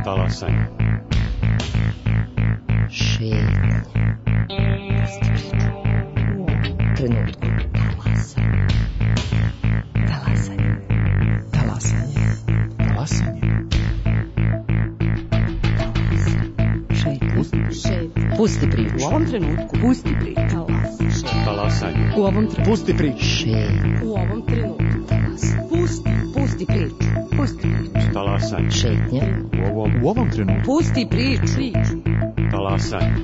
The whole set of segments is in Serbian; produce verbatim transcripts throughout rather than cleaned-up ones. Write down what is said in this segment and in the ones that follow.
Talasanje. Šetnje. Trenutku. Talasanje. Talasanje. Talasanje. Talasanje. Šetnje. Pusti priču. U ovom trenutku. Pusti priču. Talasanje. U ovom trenutku. Pusti priču. Šetnje. U ovom trenutku. Pusti. Pusti priču. Pusti priču. Talasanje. Šetnje. U ovom, u ovom trenutku. Pusti priču. Talasanje.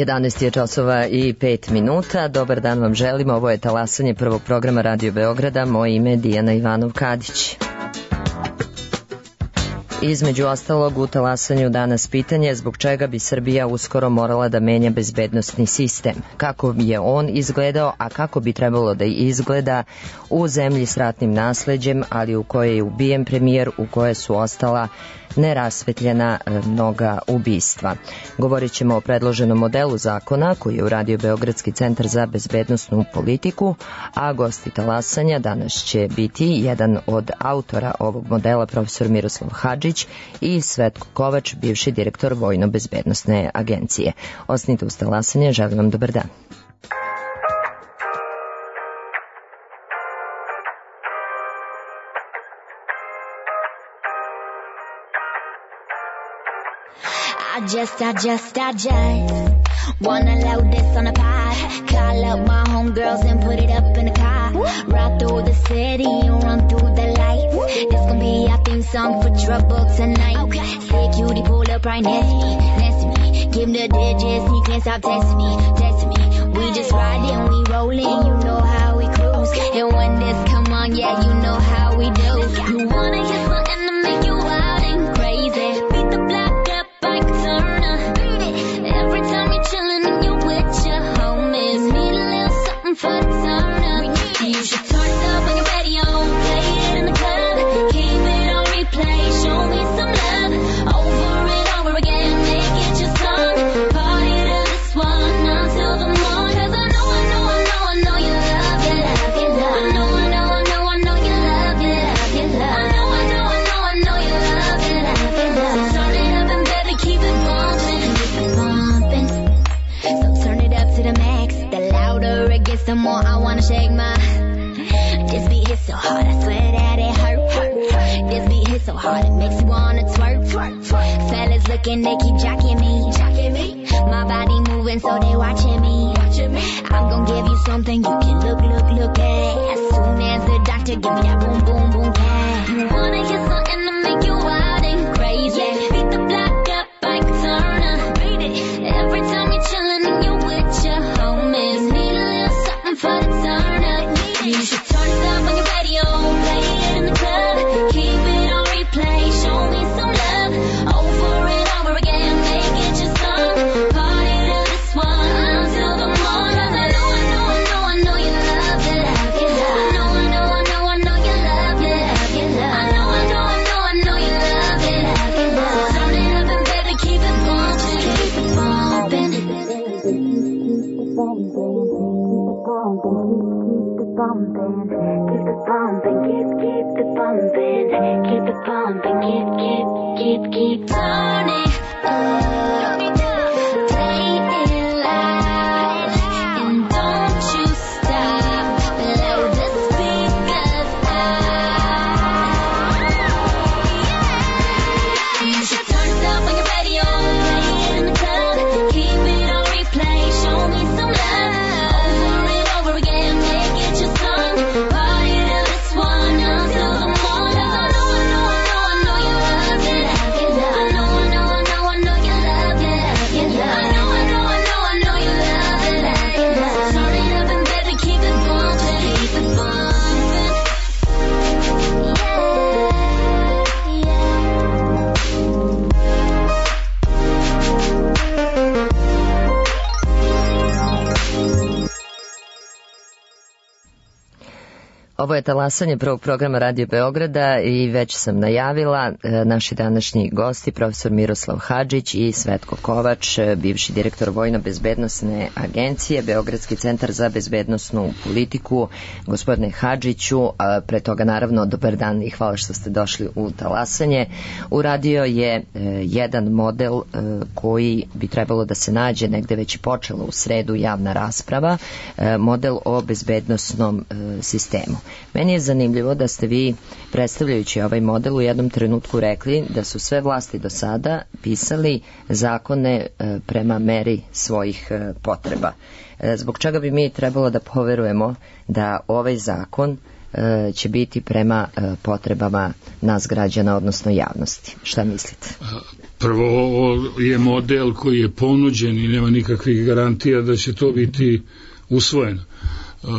jedanaest je časova i pet minuta. Dobar dan vam želimo. Ovo je Talasanje prvog programa Radio Beograda. Moje ime je Dijana Ivanov-Kadić. Između ostalog u Talasanju danas pitanje zbog čega bi Srbija uskoro morala da menja bezbednosni sistem. Kako je on izgledao, a kako bi trebalo da izgleda u zemlji s ratnim nasleđem, ali u kojoj je ubijen premijer, u kojoj su ostala nerasvetljena mnoga ubistva. Govorit ćemo o predloženom modelu zakona koji je uradio Beogradski centar za bezbednosnu politiku, a gosti Talasanja danas će biti jedan od autora ovog modela, profesor Miroslav Hadžić i Svetko Kovač, bivši direktor Vojno-bezbednosne agencije. Ostanite uz Talasanje, želim vam dobar dan. I just, I just, I just wanna load this on a pod. Call up my homegirls and put it up in the car. Ride through the city and run through the lights. This gon' be our theme song for trouble tonight. Okay. Say cutie, pull up right next to me, next to me. Give him the digits, he can't stop texting me, texting me. We just riding, we rolling, you know how we cruise. And when this come on, yeah, you know how we do. You wanna hear something to make you wild and crazy. Beat the block up like a turner. Every time you're chillin' and you're with your homies, need a little something for the turn up. You should turn it up on your radio, play it in the club, keep it on replay, show me some love, over and over again, make it your song, party to this one until the morning. 'Cause I know, I know, I know, I know you love, you love, you love. I know, I know, I know, I know you love, you love, you love. I know, I know, I know, I know you love, you love, you love. So turn it up and better keep it bumping, keep it bumping. So turn it up to the max. The louder it gets, the more I wanna shake my. This beat hits so hard, I swear that it hurt, hurt, hurt. This beat hits so hard, it makes you wanna twerk, twerk, twerk. Fellas looking, they keep jocking me, jocking me. My body moving, so they watching me, watching me. I'm gonna give you something you can look, look, look at. As soon as the doctor give me that boom, boom, boom, cat. You wanna hear something to make you wild and crazy. Beat the block up like a turner. Every time you're chillin' and you're with your homies, need a little something for the turn up. You should turn it up on your radio, play it in the club, keep it on replay, show me some love, over and over again, make it your song, party to this one until the morning. 'Cause I know, I know, I know, I know you love, you love, you love. I know, I know, I know, I know you love, you love, you love. I know, I know, I know, I know you love, you love, you love. So turn it up and better keep it bumping, keep it bumping. Keep it bumping, keep, keep it bumping, keep it bumping, keep, keep, keep, keep turning up, play it loud, and don't you stop, blow the speakers out. You should turn it up on your radio, play it in the club, keep it on replay, show me some love, over and over again, make it your song, party to this one until the morning. 'Cause I know, I know, I know, I know you love, you love, you love. I know, I know, I know, I know you love, Ovo je talasanje prvog programa Radio Beograda i već sam najavila naši današnji gosti, profesor Miroslav Hadžić i Svetko Kovač, bivši direktor Vojno-bezbednosne agencije, Beogradski centar za bezbednosnu politiku. Gospodine Hadžiću, pre toga naravno dobar dan i hvala što ste došli u talasanje. Uradio je jedan model koji bi trebalo da se nađe, negde već i počela u sredu javna rasprava, model o bezbednosnom sistemu. Meni je zanimljivo da ste vi, predstavljajući ovaj model, u jednom trenutku rekli da su sve vlasti do sada pisali zakone prema meri svojih potreba. Zbog čega bi mi trebalo da poverujemo da ovaj zakon će biti prema potrebama nas građana, odnosno javnosti? Šta mislite? Prvo je model koji je ponuđen i nema nikakvih garantija da će to biti usvojeno. Uh,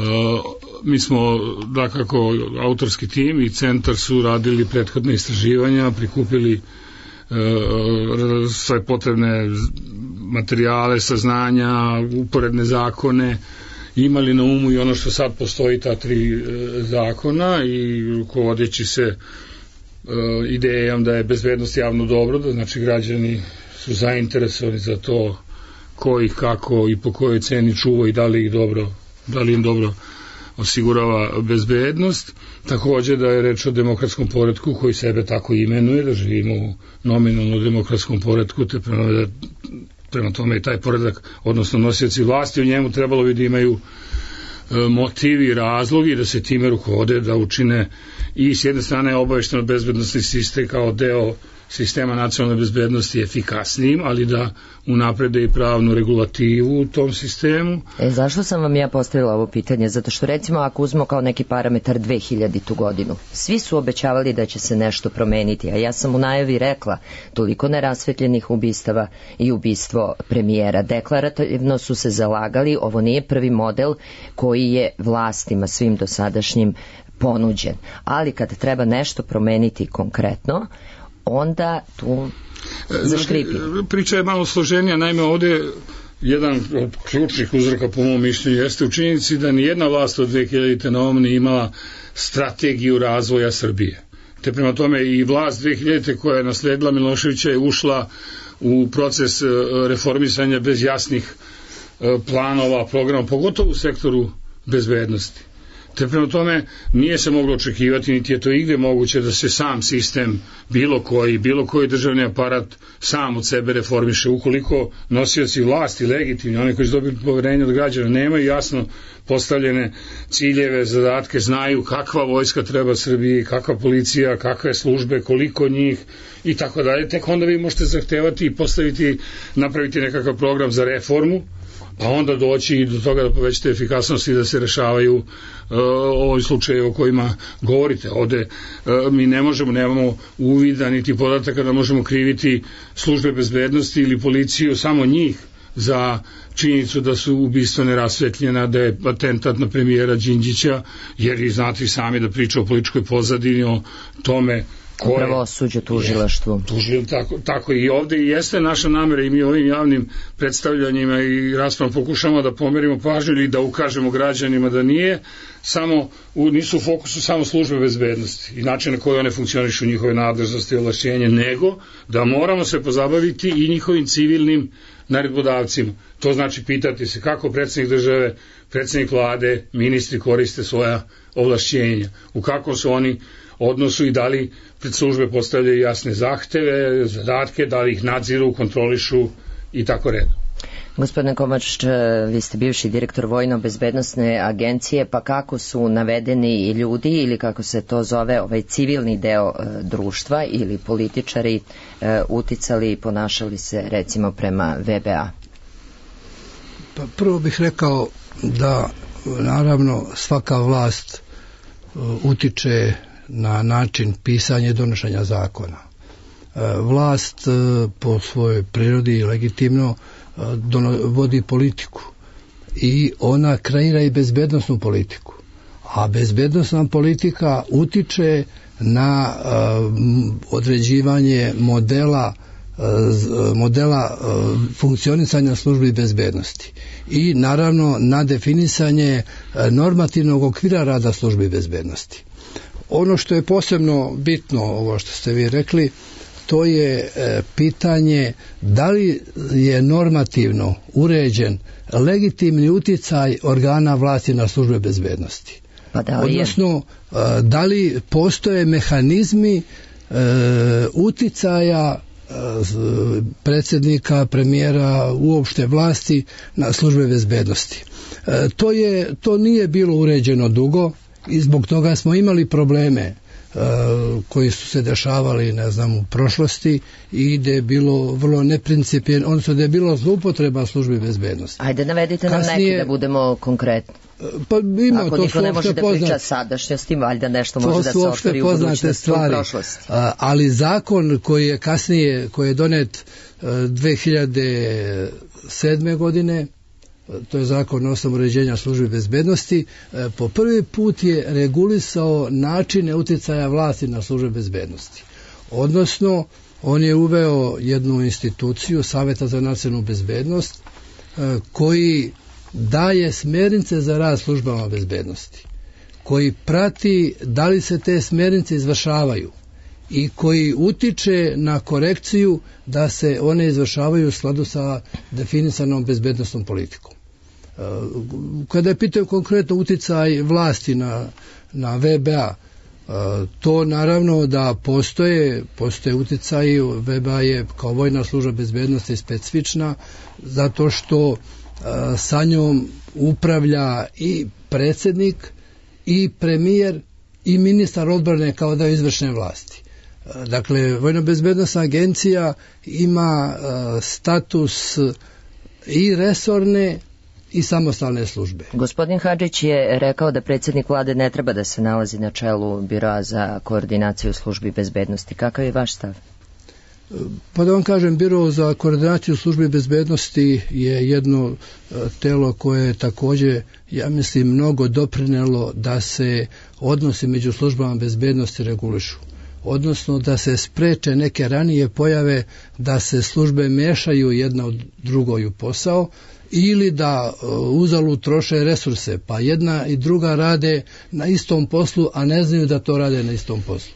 mi smo, dakako, autorski tim i centar su radili prethodne istraživanja, prikupili uh, sve potrebne materijale, saznanja, uporedne zakone, imali na umu i ono što sad postoji, ta tri uh, zakona, i rukovodeći se uh, idejom da je bezbednost javno dobro, da znači građani su zainteresovani za to ko ih, kako i po kojoj ceni čuva i da li ih dobro da li im dobro osigurava bezbednost. Takođe da je reč o demokratskom poretku koji sebe tako imenuje, da živimo u nominalno demokratskom poretku, te prema, prema tome i taj poredak, odnosno nosioci vlasti u njemu trebalo bi da imaju e, motivi i razlogi da se time rukovode, da učine i s jedne strane obavešteno bezbednosni sistem kao deo sistema nacionalne bezbednosti efikasnijim, ali da unaprede i pravnu regulativu u tom sistemu. E, zašto sam vam ja postavila ovo pitanje? Zato što recimo ako uzmemo kao neki parametar dve hiljadite. godinu, svi su obećavali da će se nešto promeniti, a ja sam u najavi rekla toliko nerasvetljenih ubistava i ubistvo premijera. Deklarativno su se zalagali, ovo nije prvi model koji je vlastima svim dosadašnjim ponuđen, ali kad treba nešto promeniti konkretno, onda tu zaškripi. Priča je malo složenija, naime ovde jedan od ključnih uzroka po mom mišljenju jeste u činjenici da nijedna vlast od dve hiljadite na ovom nije imala strategiju razvoja Srbije. Te prema tome i vlast dve hiljadite koja je nasledila Miloševića je ušla u proces reformisanja bez jasnih planova, programa, pogotovo u sektoru bezbednosti. Te prema tome nije se moglo očekivati, niti je to igde moguće da se sam sistem, bilo koji, bilo koji državni aparat sam od sebe reformiše. Ukoliko nosioci vlasti, legitimni, oni koji su dobili poverenje od građana, nemaju jasno postavljene ciljeve, zadatke, znaju kakva vojska treba Srbiji, kakva policija, kakve službe, koliko njih i tako dalje, tek onda vi možete zahtevati i postaviti, napraviti nekakav program za reformu, pa onda doći i do toga da povećate efikasnost i da se rešavaju uh, ovi slučaje o kojima govorite. Ovde uh, mi ne možemo, nemamo uvida niti podataka da možemo kriviti službe bezbednosti ili policiju, samo njih, za činjenicu da su ubistva nerasvetljena, da je atentat na premijera Đinđića, jer i znate sami da priča o političkoj pozadini, o tome upravo suđe tužilaštvu. Tužil, tako, tako i ovde i jeste naša namera i mi ovim javnim predstavljanjima i raspravom pokušamo da pomerimo pažnju ili da ukažemo građanima da nije samo, u, nisu u fokusu samo službe bezbednosti i način na koji one funkcionišu, njihove nadležnosti i ovlašćenje, nego da moramo se pozabaviti i njihovim civilnim naredbodavcima. To znači pitati se kako predsjednik države, predsjednik vlade, ministri koriste svoja ovlašćenja, u kakvom su oni odnosu i da li pred službe postavljaju jasne zahteve, zadatke, da li ih nadziru, kontrolišu i tako redom. Gospodine Kovač, vi ste bivši direktor Vojno-bezbednosne agencije, pa kako su navedeni i ljudi ili kako se to zove ovaj civilni deo e, društva ili političari e, uticali i ponašali se recimo prema V B A? Pa prvo bih rekao da naravno svaka vlast e, utiče na način pisanja i donošenja zakona. E, vlast e, po svojoj prirodi legitimno Dono, vodi politiku i ona kreira i bezbednosnu politiku, a bezbednosna politika utiče na uh, određivanje modela uh, modela funkcionisanja službi bezbednosti i naravno na definisanje normativnog okvira rada službi bezbednosti. Ono što je posebno bitno, ovo što ste vi rekli, to je pitanje da li je normativno uređen legitimni uticaj organa vlasti na službe bezbednosti. Pa da li je? Odnosno, da li postoje mehanizmi e, uticaja e, predsjednika, premijera, uopšte vlasti na službe bezbednosti. E, to je, to nije bilo uređeno dugo i zbog toga smo imali probleme koji su se dešavali, ne znam, u prošlosti i gde je bilo vrlo neprincipijelno, odnosno da je bilo zloupotreba službi bezbednosti. Ajde, navedite nam Kasnije, neki da budemo konkretni. Pa ima, Ako to niko su ne može da poznat, priča sadašnjosti, valjda nešto može da se otvori u budućnosti, u prošlosti. Ali zakon koji je kasnije, koji je donet dve hiljade sedme godine, to je zakon o osnovu uređenja službi bezbednosti, po prvi put je regulisao načine uticaja vlasti na službe bezbednosti. Odnosno, on je uveo jednu instituciju, Saveta za nacionalnu bezbednost, koji daje smjernice za rad službama bezbednosti, koji prati da li se te smjernice izvršavaju i koji utiče na korekciju da se one izvršavaju u skladu sa definisanom bezbednostnom politikom. Kada je pitao konkretno uticaj vlasti na, na V B A, to naravno da postoje, postoje uticaj, V B A je kao vojna služba bezbednosti specifična zato što sa njom upravlja i predsjednik i premijer i ministar odbrane kao da je izvršne vlasti. Dakle, Vojno-bezbednosna agencija ima status i resorne i samostalne službe. Gospodin Hadžić je rekao da predsjednik vlade ne treba da se nalazi na čelu Biroa za koordinaciju službi bezbednosti. Kakav je vaš stav? Pa da vam kažem, Biro za koordinaciju službi bezbednosti je jedno telo koje je također, ja mislim, mnogo doprinelo da se odnosi među službama bezbednosti regulišu. Odnosno da se spreče neke ranije pojave da se službe mešaju jedna od drugoj u posao ili da uzalud troše resurse, pa jedna i druga rade na istom poslu, a ne znaju da to rade na istom poslu.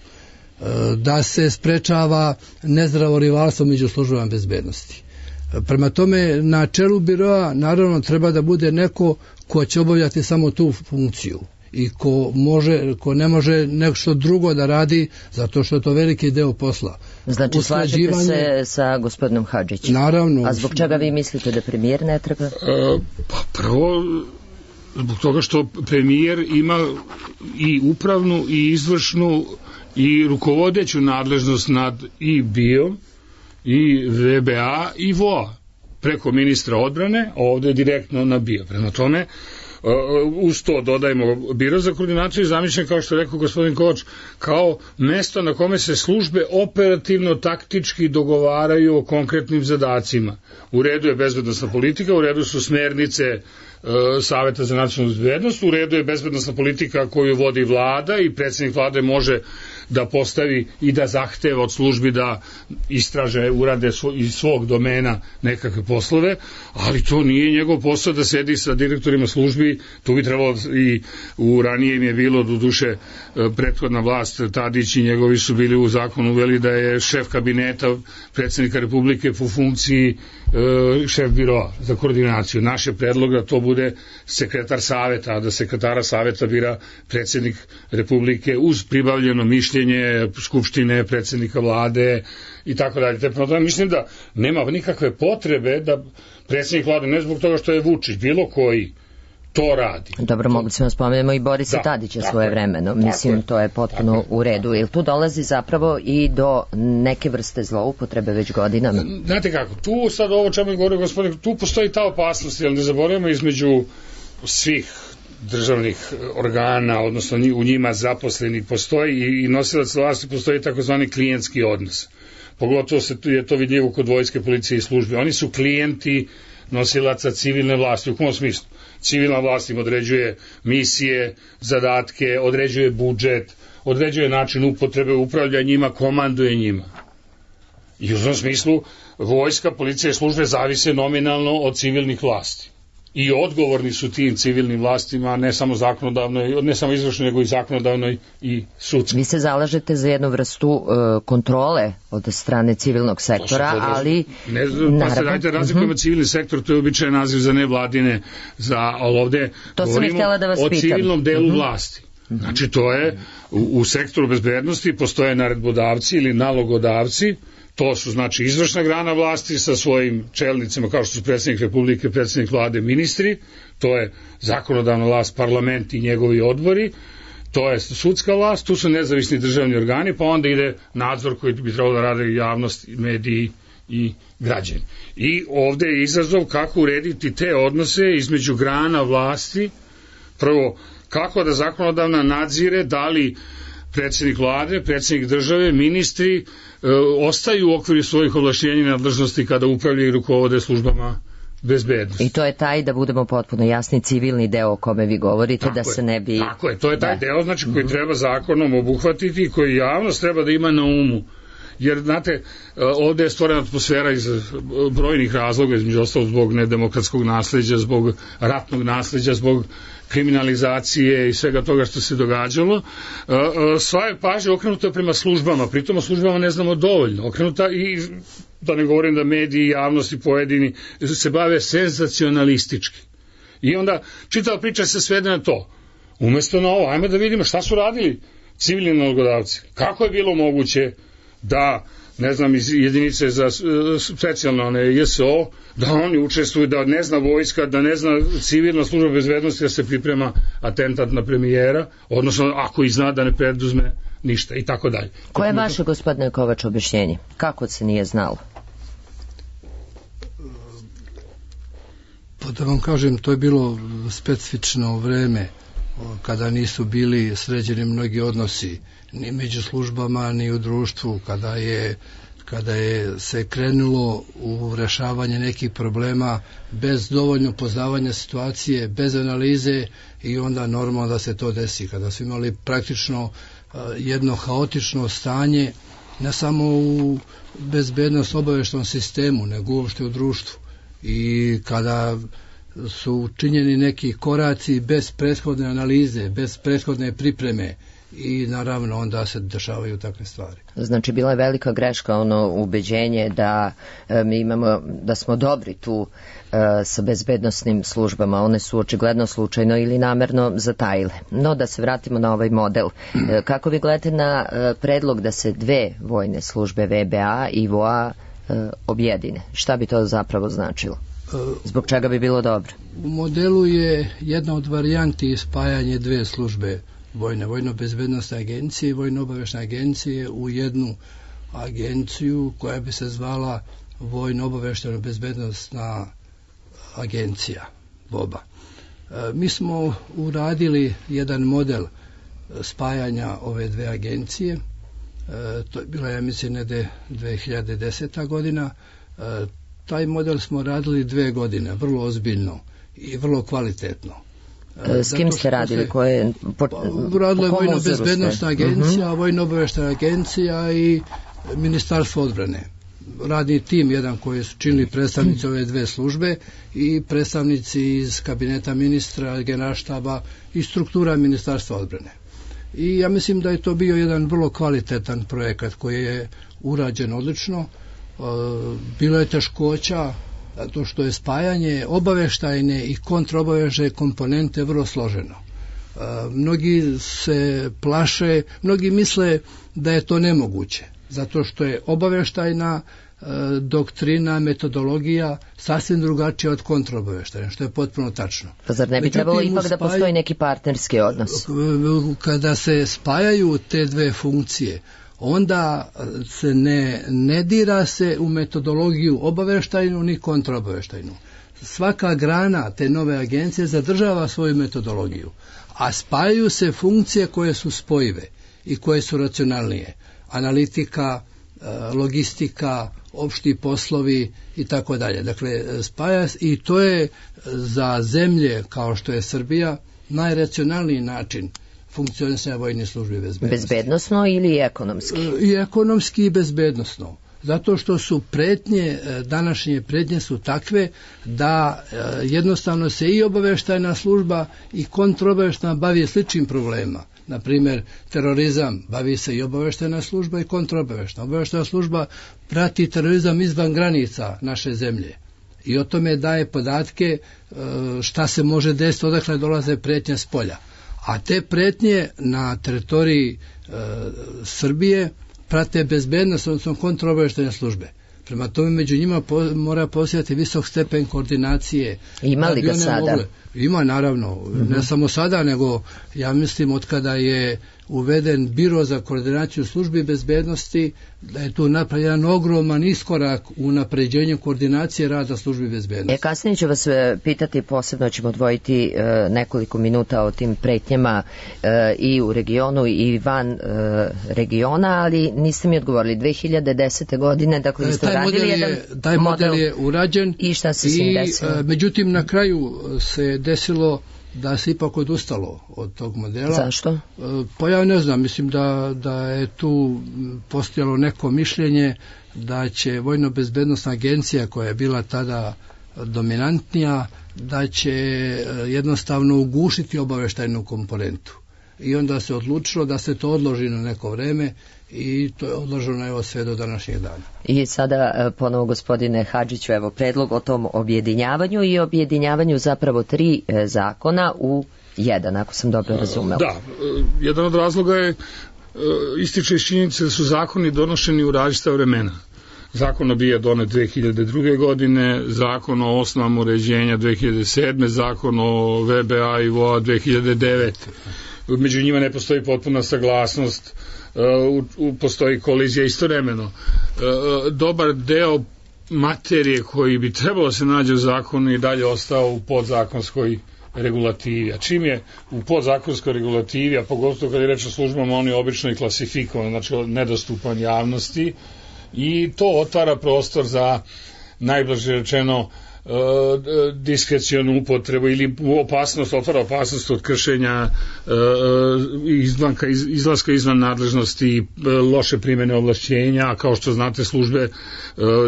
Da se sprečava nezdravo rivalstvo među službama bezbednosti. Prema tome, na čelu biroa naravno treba da bude neko ko će obavljati samo tu funkciju i ko, može, ko ne može nešto drugo da radi zato što je to veliki deo posla. Znači, slažete se sa gospodinom Hadžićem? Naravno. A zbog čega vi mislite da premijer ne treba? E, pa prvo, zbog toga što premijer ima i upravnu i izvršnu i rukovodeću nadležnost nad i B I O i V B A i V O A preko ministra odbrane, a ovdje direktno na B I O. Prema tome, uz to dodajemo Biro za koordinaciju i zamišljen, kao što je rekao gospodin Kovač, kao mesto na kome se službe operativno taktički dogovaraju o konkretnim zadacima. U redu je bezbednosna politika, u redu su smernice e, Saveta za nacionalnu bezbednost, u redu je bezbednosna politika koju vodi vlada i predsjednik vlade može da postavi i da zahteva od službi da istraže, urade svo, iz svog domena nekakve poslove, ali to nije njegov posao da sedi sa direktorima službi. Tu bi trebalo, i u ranije im je bilo do duše prethodna vlast, Tadić i njegovi su bili u zakonu uveli da je šef kabineta predsjednika Republike po funkciji e, šef biroa za koordinaciju. Naš je predlog da to bude sekretar saveta, a da sekretara saveta bira predsjednik Republike uz pribavljeno mišljenje Skupštine, predsjednika vlade i tako dalje. Te prema tome mislim da nema nikakve potrebe da predsjednik vlade, ne zbog toga što je Vučić, bilo koji to radi. Dobro, mogli smo spomenemo i Borisa da, Tadića svoje vremeno. Mislim, to je potpuno u redu. Jer tu dolazi zapravo i do neke vrste zloupotrebe već godinama. Znate kako, tu sad ovo čemu je govorio gospodin, tu postoji ta opasnost, jer ne zaboravimo između svih državnih organa, odnosno u njima zaposlenih postoji i nosilac vlasti, postoji takozvani klijentski odnos. Pogotovo se je to vidljivo kod vojske, policije i službe. Oni su klijenti nosilaca civilne vlasti. U kom smislu? Civilna vlast im određuje misije, zadatke, određuje budžet, određuje način upotrebe, upravlja njima, komanduje njima. I u tom smislu vojska, policija i službe zavise nominalno od civilnih vlasti. I odgovorni su tim civilnim vlastima, ne samo zakonodavnoj, ne samo izvršnoj, nego i zakonodavnoj i sudskoj. Vi se zalažete za jednu vrstu uh, kontrole od strane civilnog sektora, ali... Ne, pa se dajte razlikujemo uh-huh. civilni sektor, to je običajan naziv za nevladine, za, ali ovde to govorimo da vas o pitam. civilnom delu uh-huh. vlasti. Uh-huh. Znači to je, u, u sektoru bezbednosti postoje naredbodavci ili nalogodavci. To su znači izvršna grana vlasti sa svojim čelnicima kao što su predsjednik Republike, predsjednik vlade, ministri, to je zakonodavna vlast, parlament i njegovi odbori, to je sudska vlast, tu su nezavisni državni organi, pa onda ide nadzor koji bi trebalo da rade javnost, mediji i građani. I ovde je izazov kako urediti te odnose između grana vlasti, prvo kako da zakonodavna nadzire da li predsjednik vlade, predsjednik države, ministri e, ostaju u okviru svojih ovlašćenja i nadležnosti kada upravljaju i rukovode službama bezbednosti. I to je taj, da budemo potpuno jasni, civilni deo o kome vi govorite, tako da se ne bi... Tako je, to je taj da. deo znači, koji treba zakonom obuhvatiti i koji javnost treba da ima na umu. Jer, znate, ovde je stvorena atmosfera iz brojnih razloga, između ostalog zbog nedemokratskog nasleđa, zbog ratnog nasleđa, zbog kriminalizacije i svega toga što se događalo. Sva je pažnja okrenuta prema službama, pritom o službama ne znamo dovoljno. Okrenuta i, da ne govorim da mediji, javnosti, pojedini se bave senzacionalistički. I onda čitava priča se svede na to. Umesto na ovo, ajmo da vidimo šta su radili civilni nalogodavci. Kako je bilo moguće da, ne znam, iz jedinice za specijalne one J S O, da oni učestvuju, da ne zna vojska, da ne zna civilna služba bezbednosti da se priprema atentat na premijera, odnosno ako i zna da ne preduzme ništa i tako dalje. Koje je vaše, gospodine Kovač, objašnjenje? Kako se nije znalo? Pa da vam kažem, to je bilo specifično vreme kada nisu bili sređeni mnogi odnosi ni među službama, ni u društvu, kada je, kada je se krenulo u rešavanje nekih problema bez dovoljno poznavanja situacije, bez analize i onda normalno da se to desi. Kada su imali praktično jedno haotično stanje, ne samo u bezbednost obaveštajnom sistemu, nego uopšte u društvu. I kada su učinjeni neki koraci bez prethodne analize, bez prethodne pripreme, i naravno onda se dešavaju takve stvari. Znači bila je velika greška ono ubeđenje da e, mi imamo, da smo dobri tu e, sa bezbednosnim službama, one su očigledno slučajno ili namerno zatajile. No da se vratimo na ovaj model. E, kako vi gledate na e, predlog da se dve vojne službe V B A i V O A e, objedine? Šta bi to zapravo značilo? Zbog čega bi bilo dobro? U modelu je jedna od varijanti spajanje dve službe vojne, vojno-bezbednostne agencije i vojno-obaveštajne agencije u jednu agenciju koja bi se zvala vojno-obaveštajno-bezbednostna agencija, V O B A. E, mi smo uradili jedan model spajanja ove dve agencije, e, to je bila, ja mislim, nede dve hiljade deseta godina. E, taj model smo radili dve godine, vrlo ozbiljno i vrlo kvalitetno. S kim ste radili? Koje, po, pa, radila je Vojno-bezbednostna agencija, uh-huh. Vojno-obaveštajna agencija i Ministarstvo odbrane. Radni tim jedan koji su činili predstavnici ove dve službe i predstavnici iz kabineta ministra, generalštaba i struktura Ministarstva odbrane. I ja mislim da je to bio jedan vrlo kvalitetan projekat koji je urađen odlično. Bilo je teškoća zato što je spajanje obaveštajne i kontraobaveštajne komponente vrlo složeno. E, mnogi se plaše, mnogi misle da je to nemoguće, zato što je obaveštajna e, doktrina, metodologija sasvim drugačija od kontraobaveštajne, što je potpuno tačno. Pa zar ne bi Međutim, trebalo ipak spaj... da postoji neki partnerski odnos? Kada se spajaju te dve funkcije, onda se ne, ne dira se u metodologiju obaveštajnu ni kontraobaveštajnu. Svaka grana te nove agencije zadržava svoju metodologiju, a spajaju se funkcije koje su spojive i koje su racionalnije. Analitika, logistika, opšti poslovi i tako dalje. Dakle, spaja i to je za zemlje kao što je Srbija najracionalniji način funkcionisanja vojne službe bezbednosti. Bezbednosno ili ekonomski? I ekonomski i bezbednosno. Zato što su pretnje, današnje pretnje su takve da jednostavno se i obavještajna služba i kontraobavještajna bavi sličnim problemima. Na primjer, terorizam bavi se i obavještajna služba i kontraobavještajna. Obavještajna služba prati terorizam izvan granica naše zemlje i o tome daje podatke šta se može desiti, odakle dolaze pretnje s polja. A te pretnje na teritoriji e, Srbije prate bezbednost, odnosno kontraobavještajne službe. Prema tome među njima po, mora postojati visok stepen koordinacije. Ima li ga sada? Mogle, ima naravno, mm-hmm. ne samo sada, nego ja mislim od kada je uveden biro za koordinaciju službi bezbednosti, da je tu napravljen jedan ogroman iskorak u napređenju koordinacije rada službi bezbednosti. E, kasnije ću vas pitati, posebno ćemo odvojiti e, nekoliko minuta o tim pretnjama e, i u regionu i van e, regiona, ali niste mi odgovorili. dve hiljade desete. godine, dakle, vi ste uradili jedan model. Taj model je urađen i šta se s njim desilo? E, međutim, na kraju se desilo da se ipak odustalo od tog modela. Zašto? Pa ja ne znam, mislim da, da je tu postojalo neko mišljenje da će Vojno-bezbednosna agencija, koja je bila tada dominantnija, da će jednostavno ugušiti obavještajnu komponentu. I onda se odlučilo da se to odloži na neko vreme i to je odloženo evo sve do današnjeg dana. I sada ponovo, gospodine Hadžiću, evo predlog o tom objedinjavanju i objedinjavanju zapravo tri zakona u jedan, ako sam dobro razumela. Da, jedan od razloga je ističe iz činjenice da su zakoni donošeni u različita vremena. Zakon o B I A donet dve hiljade druge. godine, zakon o osnovama uređenja dve hiljade sedme. zakon o V B A i V O A dve hiljade devete. Među njima ne postoji potpuna saglasnost, u, u, postoji kolizija istovremeno. Dobar deo materije koji bi trebalo se nađe u zakonu i dalje ostao u podzakonskoj regulativi. A čim je u podzakonskoj regulativi, a pogotovo kad je reč o službama, on je obično i klasifikovan, znači nedostupan javnosti, i to otvara prostor za, najblaže rečeno, diskrecionu upotrebu ili opasnost, otvara opasnost od kršenja izvanka, izlaska izvan nadležnosti, loše primjene ovlašćenja, a kao što znate službe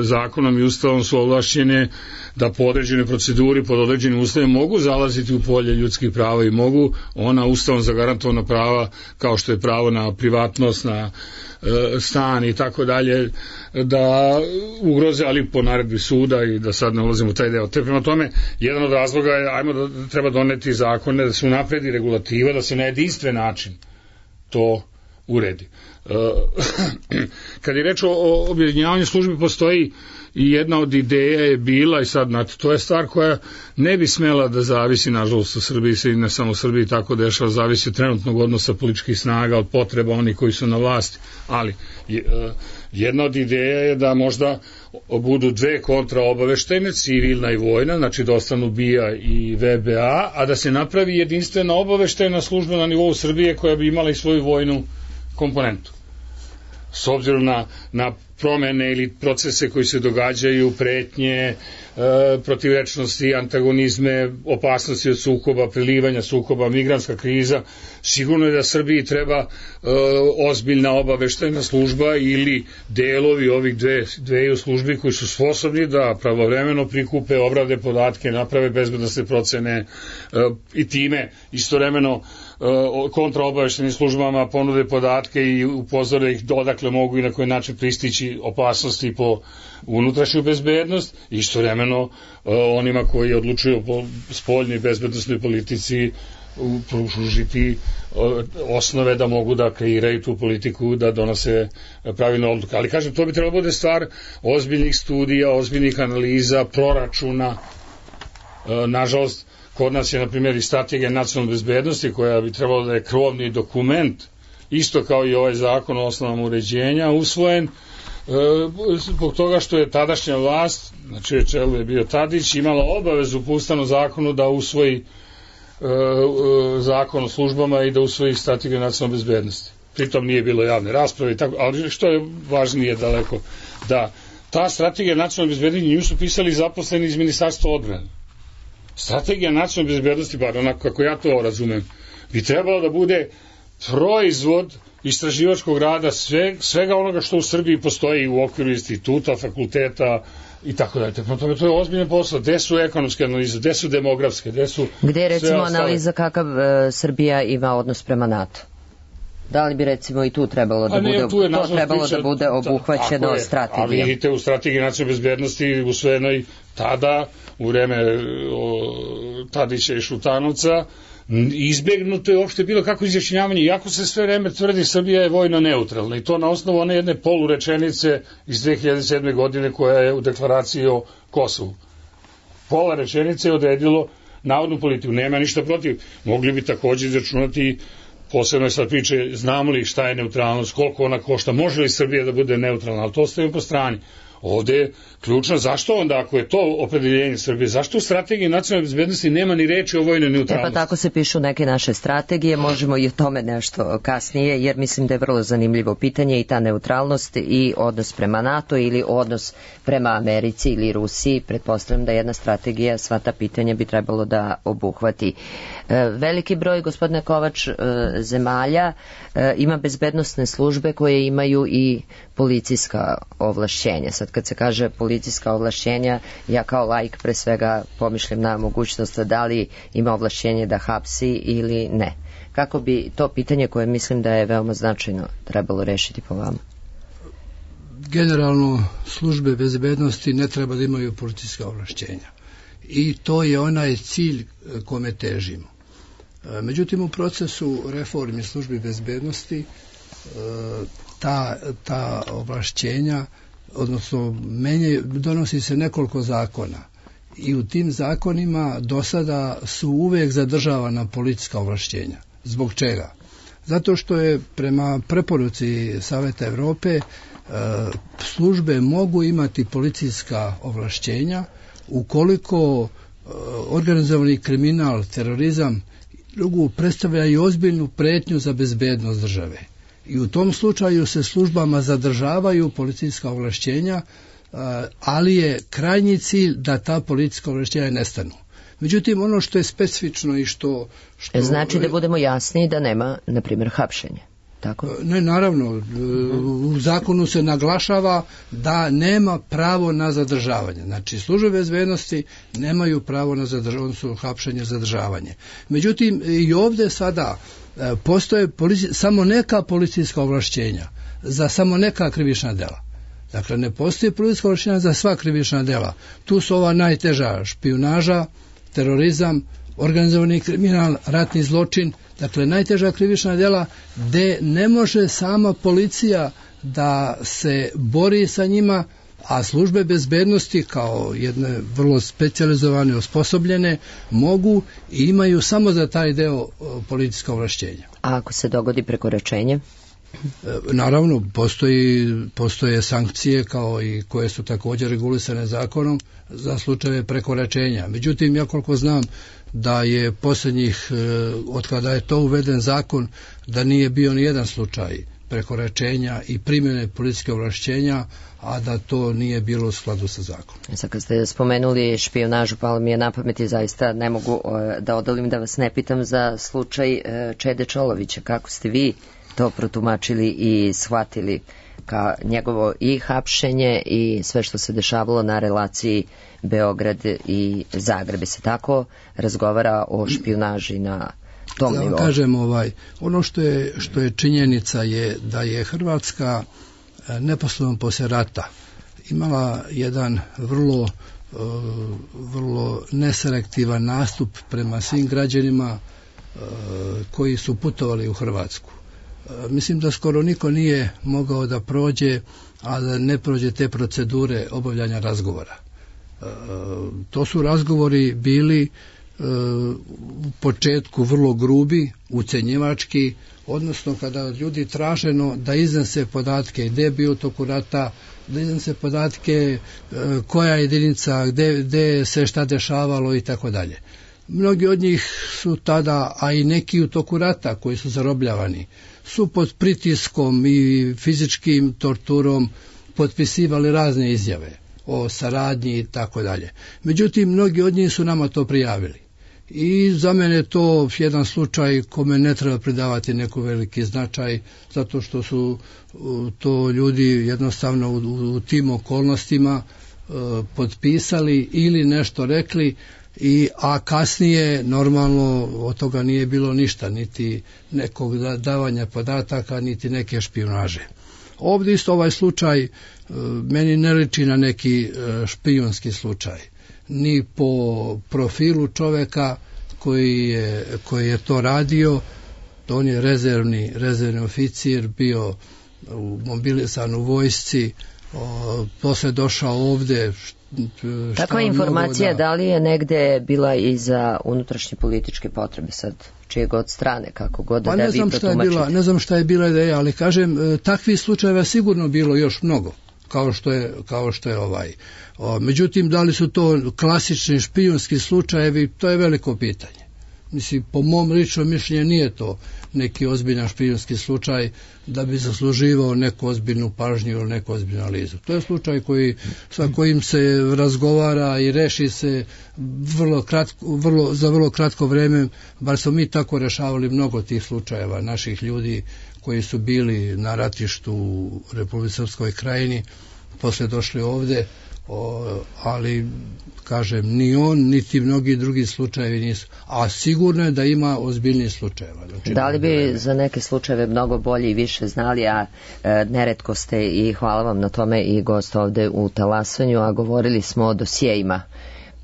zakonom i ustavom su ovlašćene da po određenoj proceduri, pod određenim uslovima mogu zalaziti u polje ljudskih prava i mogu ona ustavom zagarantovana prava, kao što je pravo na privatnost, na stan i tako dalje, da ugroze, ali po naredbi suda, i da sad ne ulazimo u taj deo. Te prema tome, jedan od razloga je, ajmo da treba doneti zakone, da se unapredi regulativa, da se na jedinstven način to uredi. Kad je reč o objedinjavanju službi, postoji i jedna od ideja je bila, i sad znate, to je stvar koja ne bi smela da zavisi, nažalost u Srbiji se i ne samo u Srbiji tako dešava, zavisi od trenutnog odnosa političkih snaga, od potreba onih koji su na vlasti, ali jedna od ideja je da možda budu dve kontraobaveštajne, civilna i vojna, znači da ostanu B I A i V B A, a da se napravi jedinstvena obaveštajna služba na nivou Srbije koja bi imala i svoju vojnu komponentu. S obzirom na, na promene ili procese koji se događaju, pretnje, e, protivrečnosti, antagonizme, opasnosti od sukoba, prilivanja sukoba, migrantska kriza, sigurno je da Srbiji treba e, ozbiljna obaveštajna služba ili delovi ovih dve, dveju službi koji su sposobni da pravovremeno prikupe, obrade podatke, naprave bezbednosne procene e, i time istovremeno kontraobaveštajnim službama ponude podatke i upozore ih odakle mogu i na koji način pristići opasnosti po unutrašnju bezbednost, i istovremeno onima koji odlučuju o spoljnoj bezbednosnoj politici pružiti osnove da mogu da kreiraju tu politiku, da donose pravilne odluke. Ali kažem, to bi trebalo bude stvar ozbiljnih studija, ozbiljnih analiza, proračuna. Nažalost, kod nas je, na primjer, i strategija nacionalne bezbednosti, koja bi trebalo da je krovni dokument, isto kao i ovaj zakon o osnovama uređenja, usvojen e, zbog toga što je tadašnja vlast, znači čelu je bio Tadić, imala obavezu po ustavnom zakonu da usvoji e, e, zakon o službama i da usvoji strategiju nacionalne bezbednosti. Pritom nije bilo javne rasprave, tako, ali što je važnije daleko, da ta strategija nacionalne bezbednosti nju su pisali zaposleni iz Ministarstva odbrane. Strategija nacionalne bezbednosti, bar onako kako ja to razumem, bi trebalo da bude proizvod istraživačkog rada, sve, svega onoga što u Srbiji postoji u okviru instituta, fakulteta i tako dalje. Prema tome, to je ozbiljno posao. Gde su ekonomske analize, gde su demografske, gde su... Gde je recimo analiza kakav e, Srbija ima odnos prema NATO? Da li bi recimo i tu trebalo da ne, bude, to trebalo priča, da bude obuhvaćeno je, strategijom? Ali vidite, u strategiji nacionalne bezbednosti usvojenoj tada, u vreme o, Tadića i Šutanovca, izbegnuto je uopšte bilo kako izjašnjavanje, iako se sve vreme tvrdi Srbija je vojno neutralna i to na osnovu one jedne polurečenice iz dve hiljade sedme. godine koja je u deklaraciji o Kosovu. Pola rečenice je odredilo navodnu politiku. Nema ništa protiv. Mogli bi takođe izračunati, posebno je sad priče, znamo li šta je neutralnost, koliko ona košta, može li Srbija da bude neutralna, ali to ostavimo po strani. Ovde je ključno, zašto onda, ako je to opredeljenje Srbije, zašto u strategiji nacionalne bezbednosti nema ni reči o vojnoj neutralnosti? E pa tako se pišu neke naše strategije, možemo i o tome nešto kasnije, jer mislim da je vrlo zanimljivo pitanje i ta neutralnost i odnos prema NATO ili odnos prema Americi ili Rusiji. Pretpostavljam da jedna strategija sva ta pitanja bi trebalo da obuhvati. Veliki broj, gospodine Kovač, zemalja ima bezbednosne službe koje imaju i policijska ovlašćenja. Sad kad se kaže policijska ovlašćenja, ja kao laik pre svega pomišljam na mogućnost da li ima ovlašćenje da hapsi ili ne. Kako bi to pitanje koje mislim da je veoma značajno trebalo rešiti po vama? Generalno službe bezbednosti ne treba da imaju policijska ovlašćenja. I to je onaj cilj kome težimo. Međutim, u procesu reformi službi bezbednosti ta, ta ovlašćenja, odnosno menje, donosi se nekoliko zakona i u tim zakonima do sada su uvek zadržavana policijska ovlašćenja. Zbog čega? Zato što je prema preporuci Saveta Evrope službe mogu imati policijska ovlašćenja ukoliko organizovani kriminal, terorizam drugu predstavlja i ozbiljnu pretnju za bezbednost države. I u tom slučaju se službama zadržavaju policijska ovlašćenja, ali je krajnji cilj da ta policijska ovlašćenja nestanu. Međutim, ono što je specifično i što... što znači da budemo jasni da nema, na primjer, hapšenja. Tako? Ne, naravno, u zakonu se naglašava da nema pravo na zadržavanje. Znači, službe bezbednosti nemaju pravo na zadržavanje, odnosno hapšenje, zadržavanje. Međutim, i ovde sada postoje polici, samo neka policijska ovlašćenja za samo neka krivična dela. Dakle, ne postoji policijska ovlašćenja za sva krivična dela. Tu su ova najteža: špijunaža, terorizam, organizovani kriminal, ratni zločin, dakle najteža krivična dela gde ne može sama policija da se bori sa njima, a službe bezbednosti kao jedne vrlo specijalizovane, osposobljene, mogu i imaju samo za taj deo policijska ovlašćenja. A ako se dogodi prekoračenje? Naravno, postoji, postoje sankcije kao i koje su također regulisane zakonom za slučajeve prekoračenja. Međutim, ja koliko znam da je posljednjih, od kada je to uveden zakon, da nije bio ni jedan slučaj prekoračenja i primjene policijske ovlašćenja, a da to nije bilo u skladu sa zakonom. Sad kad ste spomenuli špijunažu, palo mi je na pamet i zaista ne mogu da odolim da vas ne pitam za slučaj Čede Čolovića. Kako ste vi to protumačili i shvatili ka njegovo i hapšenje i sve što se dešavalo na relaciji Beograd i Zagreb? Se tako razgovara o špijunaži na tom da, nivou? Kažem, ovaj, ono što je, što je činjenica je da je Hrvatska neposredno posle rata imala jedan vrlo, vrlo neselektivan nastup prema svim građanima koji su putovali u Hrvatsku. Mislim da skoro niko nije mogao da prođe, a da ne prođe te procedure obavljanja razgovora. E, to su razgovori bili e, u početku vrlo grubi, ucenjivački, odnosno kada ljudi traženo da iznese podatke gde je bio toku rata, da iznese podatke e, koja jedinica, gde, gde se šta dešavalo i tako dalje. Mnogi od njih su tada, a i neki u toku rata koji su zarobljavani, su pod pritiskom i fizičkim torturom potpisivali razne izjave o saradnji i tako dalje. Međutim, mnogi od njih su nama to prijavili. i za mene je to jedan slučaj kome ne treba pridavati neko veliki značaj, zato što su to ljudi jednostavno u, u tim okolnostima e, potpisali ili nešto rekli, i, a kasnije normalno od toga nije bilo ništa, niti nekog davanja podataka, niti neke špijunaže. Ovdje isto ovaj slučaj e, meni ne liči na neki e, špijunski slučaj, ni po profilu čoveka koji je, koji je to radio. On je rezervni, rezervni oficir, bio u mobilisan u vojsci, o, posle došao ovde. Takva informacija, da... da li je negde bila i za unutrašnje političke potrebe, sad čije god strane, kako god pa da ne vi znam šta je bila, ne znam šta je bila ideja, ali kažem, takvih slučajeva sigurno bilo još mnogo, kao što je, kao što je ovaj. O, međutim, da li su to klasični špijunski slučajevi, to je veliko pitanje. Mislim, po mom ličnom mišljenju nije to neki ozbiljan špijunski slučaj da bi zasluživao neku ozbiljnu pažnju ili neku ozbiljnu analizu. To je slučaj koji, sa kojim se razgovara i reši se vrlo kratko, vrlo, za vrlo kratko vreme, bar smo mi tako rešavali mnogo tih slučajeva naših ljudi koji su bili na ratištu u Republici Srpskoj krajini, posle došli ovde, o, ali kažem, ni on, niti mnogi drugi slučajevi nisu, a sigurno je da ima ozbiljniji slučajeva. Znači, da li bi za neke slučajeve mnogo bolje i više znali, a e, neretko ste, i hvala vam na tome, i gost ovde u Talasanju, a govorili smo o dosijejima,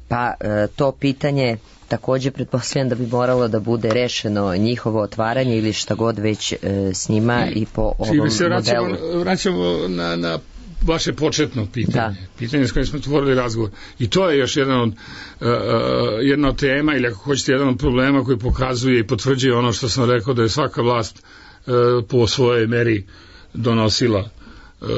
pa e, to pitanje takođe pretpostavljam da bi moralo da bude rešeno njihovo otvaranje ili šta god već e, s njima i po ovom modelu. Se vraćamo, vraćamo na, na vaše početno pitanje, da. pitanje s kojim smo otvorili razgovor. I to je još jedan od, uh, jedna od tema, ili ako hoćete jedan od problema koji pokazuje i potvrđuje ono što sam rekao, da je svaka vlast uh, po svojoj meri donosila. Uh,